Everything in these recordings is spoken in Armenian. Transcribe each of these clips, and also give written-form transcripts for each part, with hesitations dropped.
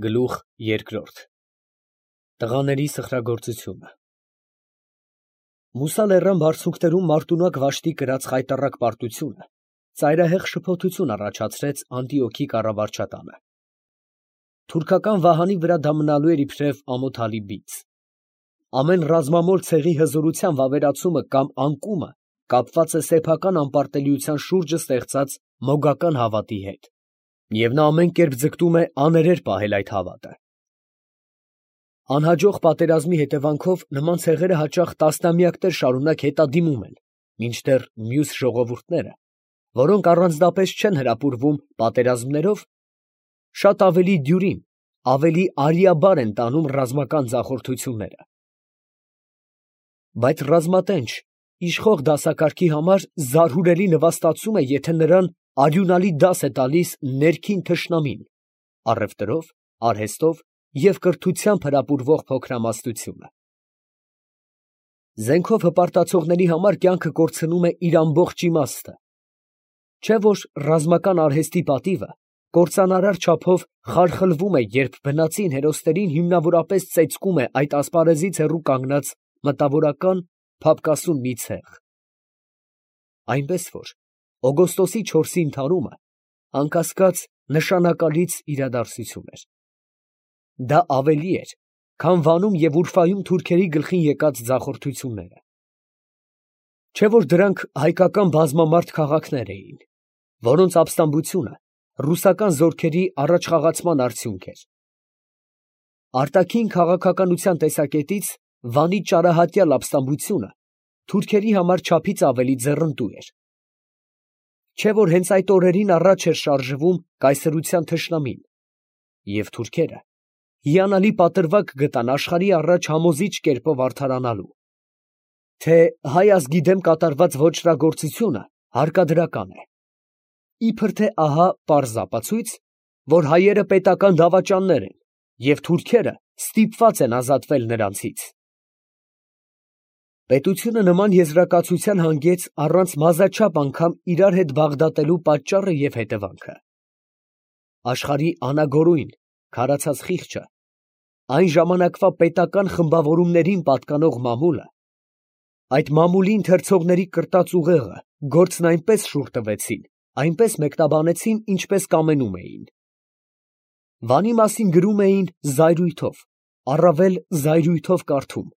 Գլուխ երկրորդ Տղաների սխրագործությունը Մուսա լեռան բարձունքներում մարտունակ վաշտի կրած խայտառակ պարտությունը ծայրահեղ շփոթություն առաջացրեց Անտիոքի կառավարչատանը։ Թուրքական վահանի վրա դա մնալու էր իբրև ամոթալի բիծ։ Ամեն ռազմամոլ ցեղի հզորության վավերացումը կամ անկումը կապված է սեփական անպարտելիության շուրջը ստեղծած մոգական հավատի հետ, և նա ամեն կերպ ձգտում է աներեր պահել այդ հավատը։ Անհաջող պատերազմի հետևանքով նման ցեղերը հաճախ տասնամյակներ շարունակ հետադիմում են, մինչդեռ մյուս ժողովուրդները, որոնք առանձնապես չեն հրապուրվում պատերազմներով, շատ ավելի դյուրին, ավելի արիաբար են տանում ռազմական ձախորդությունները։ Բայց ռազմատենչ, իշխող դասակարգի համար զարհուրելի նվաստացում է, եթե նրան արյունալի դաս է տալիս ներքին թշնամին, առևտրով, արհեստով և կրթությամբ հրապուրվող փոքրամասնությունը։ Զենքով հպարտացողների համար կյանքը կորցնում է իր ամբողջ իմաստը, չէ՞ որ ռազմական արհեստի պատիվը կործանարար չափով խարխլվում է, երբ բնածին հերոսներին հիմնավորապես ծեծկում է այդ ասպարեզից հեռու կանգնած մտավորական, փափկասուն մի ցեղ։ Այնպես որ օգոստոսի 4-ի ընդհարումը անկասկած նշանակալից իրադարձություն էր։ Դա ավելի էր, քան Վանում և Ուրֆայում թուրքերի գլխին եկած ձախորդությունները։ Չէ՞ որ դրանք հայկական բազմամարդ քաղաքներ էին, որոնց ապստամբությունը ռուսական զորքերի առաջխաղացման արդյունք էր։ Արտաքին քաղաքականության տեսակետից Վանի ճարահատյալ ապստամբությունը թուրքերի համար չափից ավելի ձեռնտու էր։ Չէ՞ որ հենց այդ օրերին առաջ էր շարժվում կայսրության թշնամին, և թուրքերը հիանալի պատրվակ գտան աշխարհի առաջ համոզիչ կերպով արդարանալու, թե հայ ազգի դեմ կատարված ոճրագործությունը հարկադրական է, իբր թե ահա պարզ ապացույց, որ հայերը պետական դավաճաններ են, և թուրքերը ստիպված են ազատվել նրանցից։ Պետությունը նման եզրակացության հանգեց առանց մազաչափ անգամ իրար հետ բաղդատելու պատճառը և հետևանքը։ Աշխարհի անագորույն, քարացած խիղճը, այն ժամանակվա պետական խմբավորումներին պատկանող մամուլը, այդ մամուլի ընթերցողների կրտած ուղեղը գործն այնպես շուռ տվեցին, այնպես մեկնաբանեցին, ինչպես կամենում էին։ Վանի մասին գրում էին զայրույթով, առավել զայրույթով կարդում.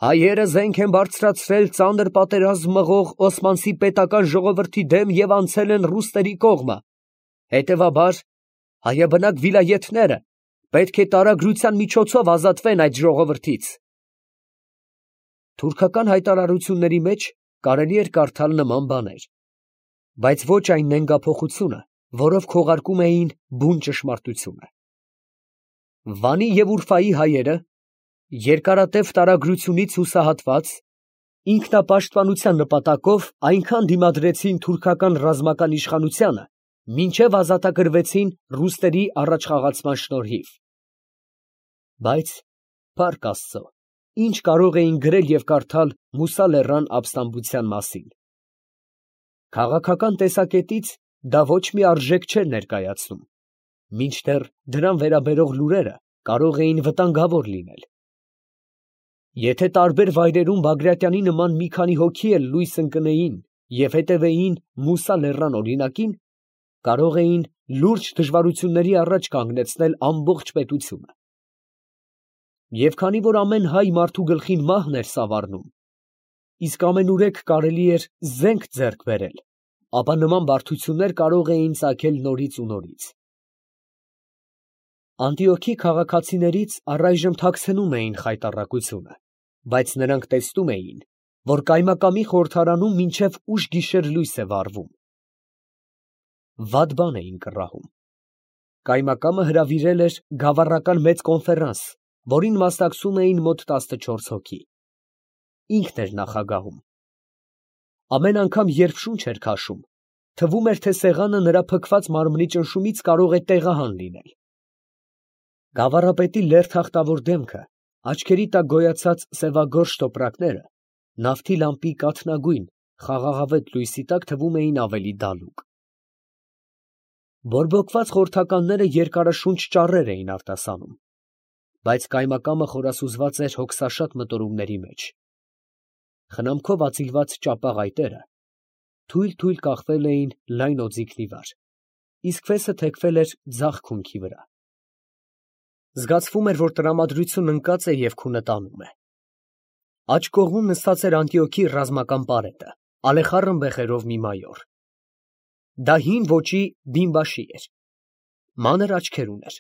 հայերը զենք են բարձրացրել ծանր պատերազմ մղող Օսմանցի պետական ժողովրդի դեմ և անցել են ռուսների կողմը, հետևաբար հայաբնակ վիլայեթները պետք է տարագրության միջոցով ազատվեն այդ ժողովրդից։ Թուրքական հայտարարությունների մեջ կարելի էր կարդալ նման բաներ, բայց ոչ այն նենգափոխությունը, որով քողարկում էին բուն ճշմարտությունը։ Վանի և Ուրֆայի հայերը, երկարատև տարագրությունից հուսահատված, ինքնապաշտպանության նպատակով այնքան դիմադրեցին թուրքական ռազմական իշխանությանը, մինչև ազատագրվեցին ռուսների առաջխաղացման շնորհիվ։ Բայց, փառք Աստծո, ինչ կարող էին գրել և կարդալ Մուսա լեռան ապստամբության մասին։ Քաղաքական տեսակետից դա ոչ մի արժեք չէր ներկայացնում, մինչդեռ դրան վերաբերող լուրերը կարող էին վտանգավոր լինել։ Եթե տարբեր վայրերում Բագրատյանի նման մի քանի հոգի էլ լույս ընկնեին և հետևեին Մուսա լեռան օրինակին, կարող էին լուրջ դժվարությունների առաջ կանգնեցնել ամբողջ պետությունը։ Եվ քանի որ ամեն հայ մարդու գլխին մահն էր սավառնում, իսկ ամենուրեք կարելի էր զենք ձեռք բերել, ապա նման բարդություններ կարող էին ծագել նորից ու նորից։ Անտիոքի քաղաքացիներից առայժմ թաքցնում էին խայտառակությունը, բայց նրանք տեսնում էին, որ կայմակամի խորհրդարանում մինչև ուշ գիշեր լույս է վառվում։ Վատ բան էին կռահում։ Կայմակամը հրավիրել էր գավառական մեծ կոնֆերանս, որին մասնակցում էին մոտ 14 հոգի։ Ինքն էր նախագահում։ Ամեն անգամ, երբ շունչ էր քաշում, թվում էր, թե սեղանը նրա փքված մարմնի ճնշումից կարող է տեղահան լինել։ Գավառապետի լերդախտավոր դեմքը, աչքերի տակ գոյացած սևագորշ տոպրակները, նավթի լամպի կաթնագույն, խաղաղավետ լույսի տակ թվում էին ավելի դալուկ։ Բորբոքված խորհրդականները երկարաշունչ ճառեր էին արտասանում, բայց կայմակամը խորասուզված էր հոգսաշատ մտորումների մեջ. խնամքով ածիլված ճապաղ այտերը թույլ կախվել էին լայն օձիքի վրա, իսկ ֆեսը թեքվել էր ձախ քունքի վրա։ Զգացվում էր, որ տրամադրություն ընկած է և քունը տանում է։ Աջ կողմում նստած էր Անդիոքի ռազմական պարետը, ալեխառն բեխերով մի մայոր։ Դա հին ոճի բինբաշի էր, մանր աչքեր ուներ,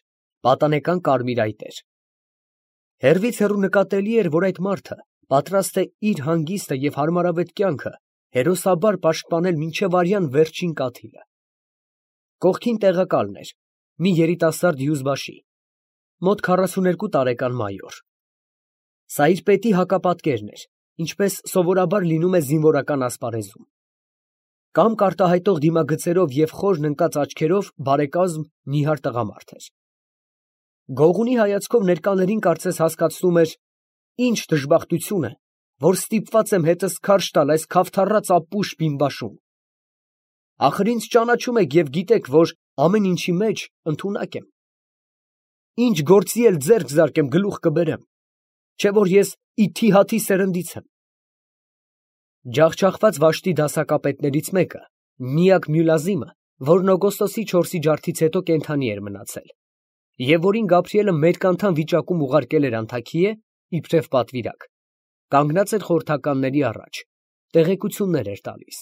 պատանեկան կարմիր այտեր։ Հեռվից հեռու նկատելի էր, որ այդ մարդը պատրաստ է իր հանգիստը և հարմարավետ կյանքը հերոսաբար պաշտպանել մինչև արյան վերջին կաթիլը։ Կողքին տեղակալն էր, մի երիտասարդ հյուզբաշի, մոտ 42 տարեկան մայոր։ Սա իր պետի հակապատկերն էր, ինչպես սովորաբար լինում է զինվորական ասպարեզում։ Կամք արտահայտող դիմագծերով և խորն ընկած աչքերով բարեկազմ նիհար տղամարդ էր։ Գողունի հայացքով ներկաներին կարծես հասկացնում էր. ինչ դժբախտություն է, որ ստիպված եմ հետս քարշ տալ այս քավթառած ապուշ բինբաշում։ Ախր ինձ ճանաչում եք և գիտեք, որ ամեն ինչի մեջ ընդունակ եմ։ Ինչ գործի էլ ձեռք զարկեմ, գլուխ կբերեմ, չէ որ ես ի թիհաթի սերնդից եմ։ Ջախջախված վաշտի դասակապետներից մեկը, միակ Մյուլազիմը, որն օգոստոսի 4-ի ջարդից հետո կենդանի էր մնացել, և որին Գաբրիելը մերկանթան վիճակում ուղարկել էր Անթաքիե, իբրև պատվիրակ, կանգնած էր խորհրդականների առաջ, տեղեկություններ էր տալիս։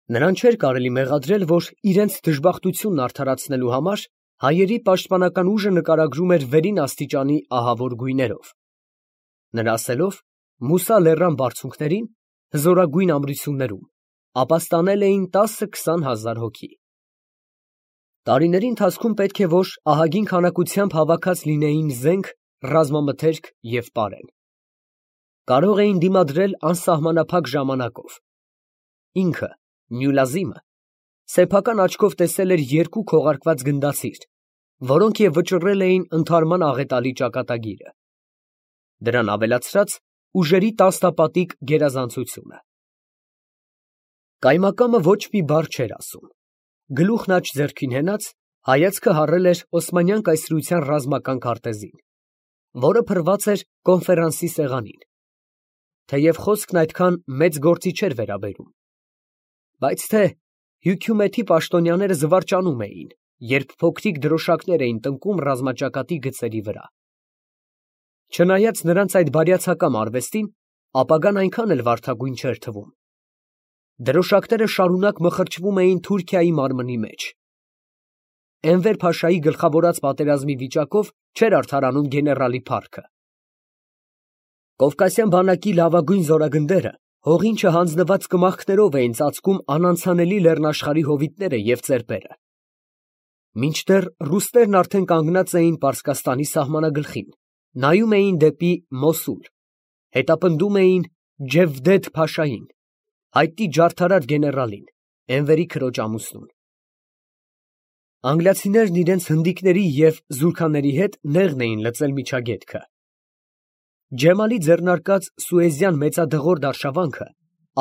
Նրան չէր կարելի մեղադրել, որ իրենց դժբախտությունն արդարացնելու համար հայերի պաշտպանական ուժը նկարագրում էր վերին աստիճանի ահավոր գույներով։ Նրա ասելով, Մուսա լեռան բարձունքներին, հզորագույն ամրություններում, ապաստանել էին 10-20 հազար հոգի։ Տարիների ընթացքում պետք է որ ահագին քանակությամբ հավաքած լինեին զենք, ռազմամթերք և պարեն։ Կարող էին դիմադրել անսահմանափակ ժամանակով։ Ինքը, Մյուլազիմը, սեփական աչքով տեսել էր 2 քողարկված գնդացիր, որոնք և վճռել էին ընդհարման աղետալի ճակատագիրը։ Դրան ավելացրած ուժերի տասնապատիկ գերազանցությունը։ Կայմակամը ոչ մի բառ չէր ասում։ Գլուխն աջ ձեռքին հենած, հայացքը հառել էր Օսմանյան կայսրության ռազմական քարտեզին, որը փռված էր կոնֆերանսի սեղանին, թեև խոսքն այդքան մեծ գործի չէր վերաբերում, բայց թե հյութումեթի պաշտոնյաները զվարճանում էին, երբ փոքրիկ դրոշակներ էին տնկում ռազմաճակատի գծերի վրա։ Չնայած նրանց այդ բարյացակամ արվեստին, ապագան այնքան էլ վարդագույն չէր թվում։ Դրոշակները շարունակ մխրճվում էին Թուրքիայի մարմնի մեջ։ Էնվեր փաշայի գլխավորած պատերազմի վիճակով չէր արդարանում գեներալի փառքը։ Կովկասյան բանակի լավագույն զորագնդերը հողին չհանձնված կմախքներով էին ծածկում անանցանելի լեռնաշխարհի հովիտները և ծերպերը։ Մինչդեռ ռուսներն արդեն կանգնած էին Պարսկաստանի սահմանագլխին, նայում էին դեպի Մոսուլ, հետապնդում էին Ջևդեթ փաշային, հայտնի ջարդարար գեներալին, Էնվերի քրոջ ամուսնուն։ Անգլիացիներն իրենց հնդիկների և զուրքաների հետ նեղն էին լծել միջագետքը։ Ջեմալի ձեռնարկած Սուեզյան մեծադղրդյա արշավանքը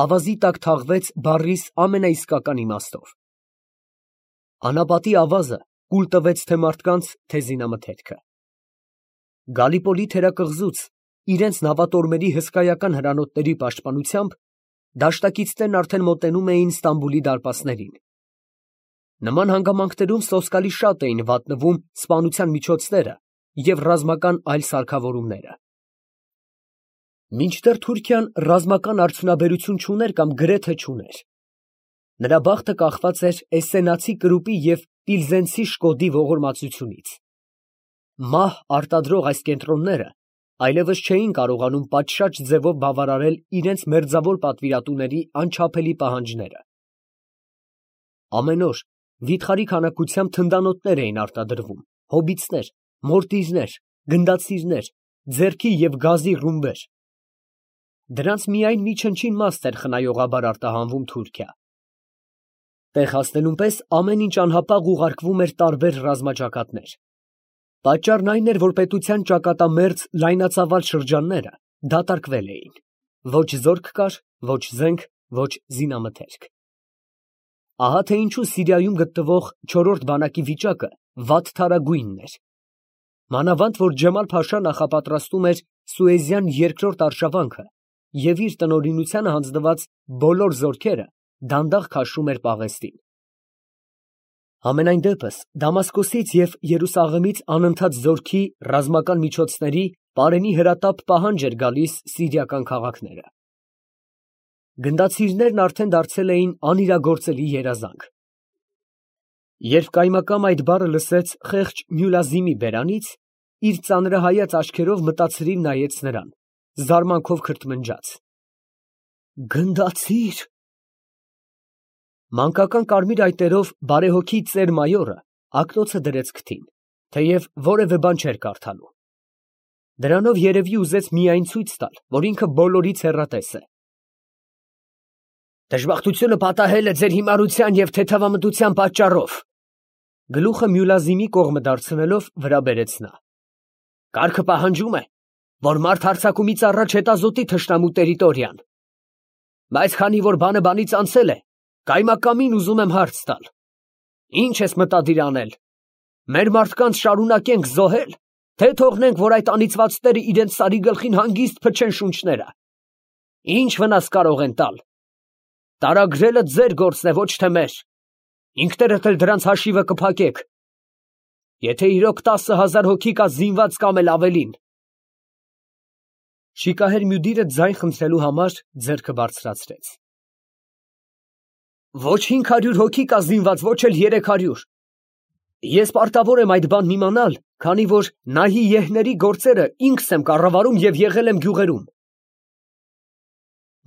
ավազի տակ թաղվեց բառիս ամենաիսկական իմաստով։ Անապատի ավազը կուլ տվեց թե մարդկանց, թե զինամթերքը։ Գալիպոլի թերակղզուց իրենց նավատորմերի հսկայական հրանոթների պաշտպանությամբ դաշտակիցներն արդեն մոտենում էին Ստամբուլի դարպասներին։ Նման հանգամանքներում սոսկալի շատ էին վատնվում սպանության միջոցները և ռազմական այլ սարքավորումները։ Մինչդեռ Թուրքիան ռազմական արդյունաբերություն չուներ կամ գրեթե չուներ։ Նրա բախտը կախված էր Էսսենացի կրուպի և Պիլզենցի շկոդի ողորմածությունից։ Մահ արտադրող այս կենտրոնները այլևս չէին կարողանում պատշաճ ձևով բավարարել իրենց մերձավոր պատվիրատուների անչափելի պահանջները։ Ամեն օր վիթխարի քանակությամբ թնդանոթներ էին արտադրվում, հոբիցներ, մորտիրներ, գնդացիրներ, ձերքի և գազի ռումբեր։ Դրանց միայն մի չնչին մաս էր խնայողաբար արտահանվում Թուրքիա։ Տեղ հասնելուն պես ամեն ինչ անհապաղ ուղարկվում էր տարբեր ռազմաճակատներ։ Պատճառն այն էր, որ պետության ճակատամերձ լայնածավալ շրջանները դատարկվել էին։ Ոչ զորք կար, ոչ զենք, ոչ զինամթերք։ Ահա թե ինչու Սիրիայում գտնվող չորրորդ բանակի վիճակը վատթարագույնն էր։ Մանավանդ որ Ջամալ֊Փաշան նախապատրաստում էր Սուեզյան երկրորդ արշավանքը և իր տնօրինությանը հանձնված բոլոր զորքերը դանդաղ քաշում էր Պաղեստին։ Համենայն դեպս Դամասկոսից և Երուսաղեմից անընդհատ զորքի, ռազմական միջոցների, պարենի հրատապ պահանջ էր գալիս սիրիական քաղաքները։ Գնդացիրներն արդեն դարձել էին անիրագործելի երազանք։ Երբ կայմակամ այդ բառը լսեց խեղճ Մյուլազիմի բերանից, իր ծանրահայաց աչքերով մտածրիվ նայեց նրան, զարմանքով քրթմնջաց. Գնդացի՞ր։ Մանկական կարմիր այտերով բարեհոգի ծեր մայորը ակնոցը դրեց քթին, թեև որևէ բան չէր կարդալու։ Դրանով երևի ուզեց միայն ցույց տալ, որ ինքը բոլորից հեռատես է։ Դժբախտությունը պատահել է ձեր հիմարության և թեթևամտության պատճառով, գլուխը Մյուլազիմի կողմը դարձնելով վրա բերեց նա։ Կարգը պահանջում է, որ մարդ հարձակումից առաջ հետազոտի թշնամու տերիտորիան։ Բայց քանի որ բանը բանից անցել է, կայմակամին ուզում եմ հարց տալ. Ինչ ես մտադիր անել։ Մեր մարդկանց շարունակենք զոհել, թե թողնենք, որ այդ անիծվածները իրենց սարի գլխին հանգիստ փչեն շունչները։ Ինչ վնաս կարող են տալ։ Տարագրելը ձեր գործն է, ոչ թե մեր։ Ինքներդ էլ դրանց հաշիվը կփակեք։ Եթե իրոք 10,000 հոգի կա զինված կամ էլ ավելին։ Շիկահեր Մյուդիրը ձայն խնդրելու համար ձեռքը բարձրացրեց։ Ոչ 500 հոգի կա զինված, ոչ էլ 300։ Ես պարտավոր եմ այդ բանն իմանալ, քանի որ Նահիեհների գործերը ինքս եմ կառավարում և եղել եմ գյուղերում։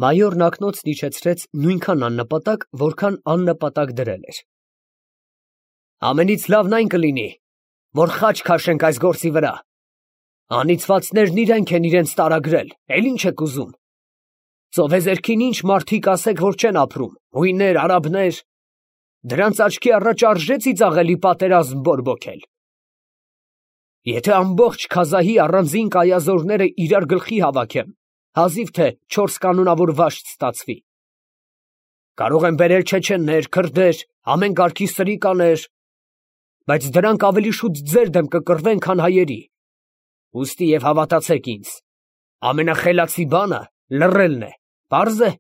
Մայորն ակնոցն իջեցրեց նույնքան աննպատակ, որքան աննպատակ դրել էր։ Ամենից լավն այն կլինի, որ խաչ քաշենք այս գործի վրա։ Անիծվածներն իրենք են իրենց տարագրել, էլ ինչ եք ուզում։ Ծովեզերքին ինչ մարդիկ ասեք, որ չեն ապրում, հույներ, արաբներ, դրանց աչքի առաջ արժե ծիծաղելի պատերազմ բորբոքել։ Եթե ամբողջ Քազահի առանձին կայազորները իրար գլխի հավաքեմ, հազիվ թե 4 կանոնավոր վաշտ ստացվի։ Կարող են բերել չեչեններ, քրդեր, ամեն կարգի սրիկաներ, բայց դրանք ավելի շուտ ձեր դեմ կկռվեն, քան հայերի։ Ուստի և հավատացեք ինձ, ամենախելացի բանը լռելն է, պարզ է։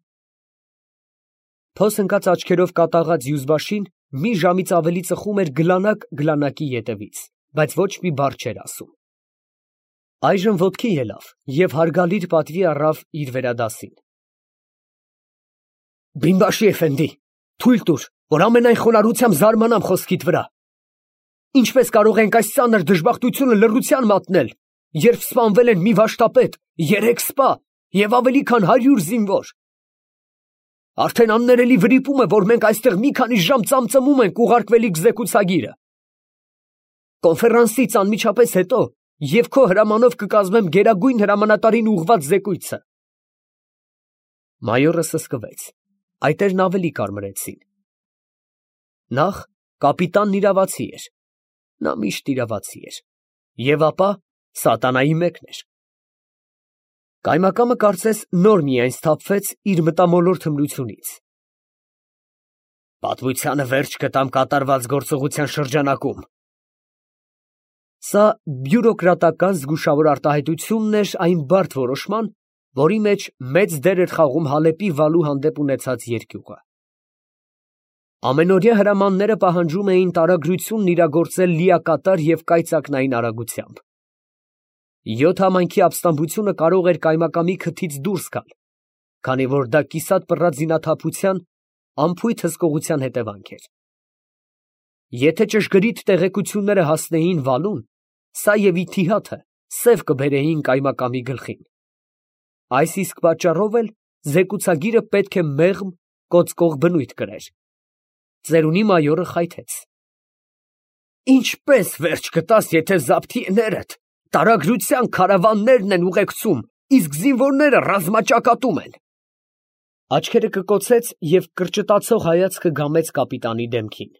Փոս ընկած աչքերով կատաղած Յուզբաշին մի ժամից ավելի ծխում էր գլանակ գլանակի ետևից, բայց ոչ մի բառ չէր ասում։ Այժմ ոտքի ելավ և հարգալիր պատվի առավ իր վերադասին։ Բինբաշի էֆենդի, թույլ տուր, որ ամենայն խոնարհությամբ զարմանամ խոսքիդ վրա։ Ինչպես կարող ենք այս ծանր դժբախտությունը լռության մատնել, երբ սպանվել են մի վաշտապետ, 3 սպա և ավելի քան 100 զինվոր։ Արդեն աններելի վրիպում է, որ մենք այստեղ մի քանի ժամ ծամծմում ենք ուղարկվելիք զեկուցագիրը։ Կոնֆերանսից անմիջապես հետո և քո հրամանով կկազմեմ գերագույն հրամանատարին ուղղված զեկույցը։ Մայորը սսկվեց, այտերն ավելի կարմրեցին։ Նախ կապիտանն իրավացի էր, նա միշտ իրավացի էր, և ապա սատանայի մեկն էր։ Կայմակամը կարծես նոր միայն սթափվեց իր մտամոլոր թմրությունից։ Պատմությանը վերջ կտամ կատարված գործողության շրջանակում։ Սա բյուրոկրատական զգուշավոր արտահայտությունն էր այն բարդ որոշման, որի մեջ մեծ դեր էր խաղում Հալեպի վալու հանդեպ ունեցած երկյուղը։ Ամենօրյա հրամանները պահանջում էին տարագրությունն իրագործել լիակատար և կայծակնային արագությամբ։ 7 համայնքի ապստամբությունը կարող էր կայմակամի քթից դուրս գալ, քանի որ դա կիսատ պռած զինաթափության անփույթ հսկողության հետևանք էր։ Եթե ճշգրիտ տեղեկությունները հասնեին վալուն, սա և իթիհաթը սև կբերեին կայմակամի գլխին։ Այս իսկ պատճառով էլ զեկուցագիրը պետք է մեղմ, կոծկող բնույթ կրեր։ Ծերունի մայորը խայթեց։ Ինչպես վերջ կտաս, եթե զաբթիեներդ տարագրության քարավաններն են ուղեկցում, իսկ զինվորները ռազմաճակատում են։ Աչքերը կկոցեց և կրճտացող հայացքը գամեց կապիտանի դեմքին։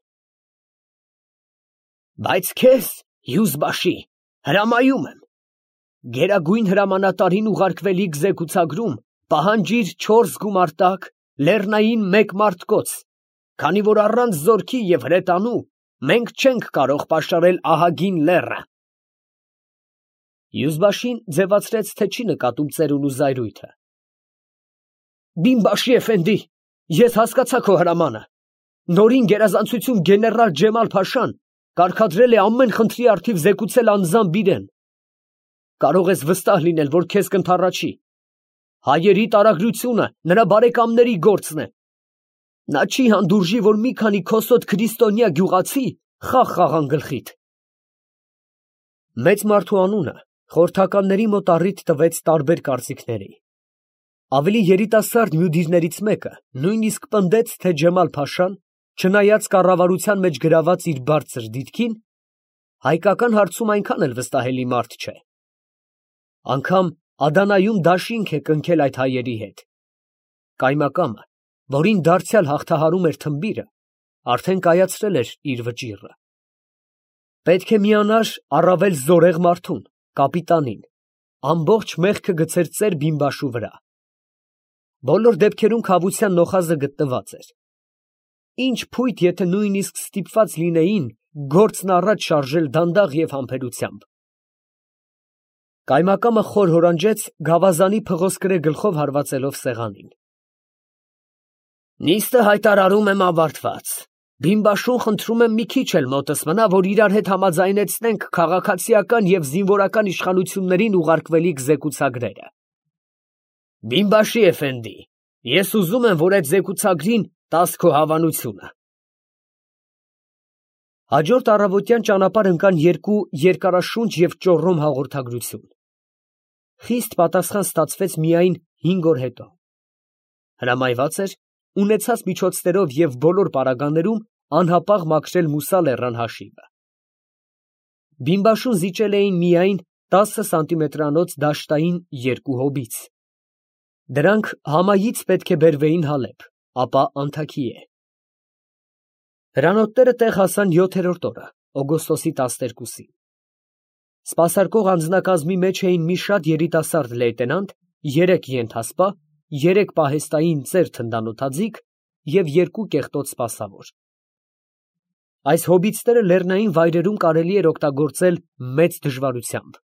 Բայց քեզ, Յուզբաշի, հրամայում եմ, գերագույն հրամանատարին ուղարկվելիք զեկուցագրում պահանջիր 4 գումարտակ, լեռնային 1 մարտկոց, քանի որ առանց զորքի և հրետանու մենք չենք կարող պաշարել ահագին լեռը։ Յուզբաշին ձևացրեց, թե չի նկատում ծերուն ու զայրույթը։ Բինբաշի էֆենդի, ես հասկացա քո հրամանը։ Նորին գերազանցություն գեներալ Ջեմալ-փաշան կարգադրել է ամեն խնդրի առթիվ զեկուցել անձամբ իրեն։ Կարող ես վստահ լինել, որ քեզ կընդառաջի։ Հայերի տարագրությունը նրա բարեկամների գործն է։ Նա չի հանդուրժի, որ մի քանի քոսոտ քրիստոնյա գյուղացի խաղ խաղան գլխիդ։ Մեծ մարդու անունը խորհրդականների մոտ առիթ տվեց տարբեր կարծիքների։ Ավելի երիտասարդ մյուդիրներից մեկը նույնիսկ պնդեց, թե Ջեմալ-փաշան, չնայած կառավարության մեջ գրաված իր բարձր դիրքին, հայկական հարցում այնքան էլ վստահելի մարդ չէ։ Անգամ Ադանայում դաշինք է կնքել այդ հայերի հետ։ Կայմակամը, որին դարձյալ հաղթահարում էր թմբիրը, արդեն կայացրել էր իր վճիռը։ Պետք է միանար առավել զորեղ մարդուն, կապիտանին, ամբողջ մեղքը գցեր ծեր Բինբաշու վրա։ Բոլոր դեպքերում քավության նոխազը գտնված էր։ Ինչ փույթ, եթե նույնիսկ ստիպված լինեին գործն առաջ շարժել դանդաղ և համբերությամբ։ Կայմակամը խոր հորանջեց գավազանի փղոսկրե գլխով հարվածելով սեղանին։ Նիստը հայտարարում եմ ավարտված։ Բինբաշուն խնդրում եմ մի քիչ էլ մոտս մնա, որ իրար հետ համաձայնեցնենք քաղաքացիական և զինվորական իշխանություններին ուղարկվելիք զեկուցագրերը։ Բինբաշի էֆենդի, ես ուզում եմ, որ այդ զեկուցագրին տաս քո հավանությունը։ Հաջորդ առավոտյան ճանապարհ ընկան երկու երկարաշունչ և ճոռոմ հաղորդագրություն։ Խիստ պատասխան ստացվեց միայն 5 օր հետո։ Հրամայված էր ունեցած միջոցներով և բոլոր պարագաներում անհապաղ մաքրել Մուսա լեռան հաշիվը։ Բինբաշուն զիջել էին միայն 10 սանտիմետրանոց դաշտային երկու հոբից։ Դրանք համայից պետք է բերվեին Հալեբ, ապա Անթաքիե։ Հրանոթները տեղ հասան 7-րդ օրը, օգոստոսի 12-ին։ Սպասարկող անձնակազմի մեջ էին մի շատ երիտասարդ լեյտենանտ, 3 ենթասպա, 3 պահեստային ծեր թնդանոթաձիգ և 2 կեղտոտ սպասավոր։ Այս հոբիտսները լեռնային վայրերում կարելի էր օգտագործել մեծ դժվարությամբ։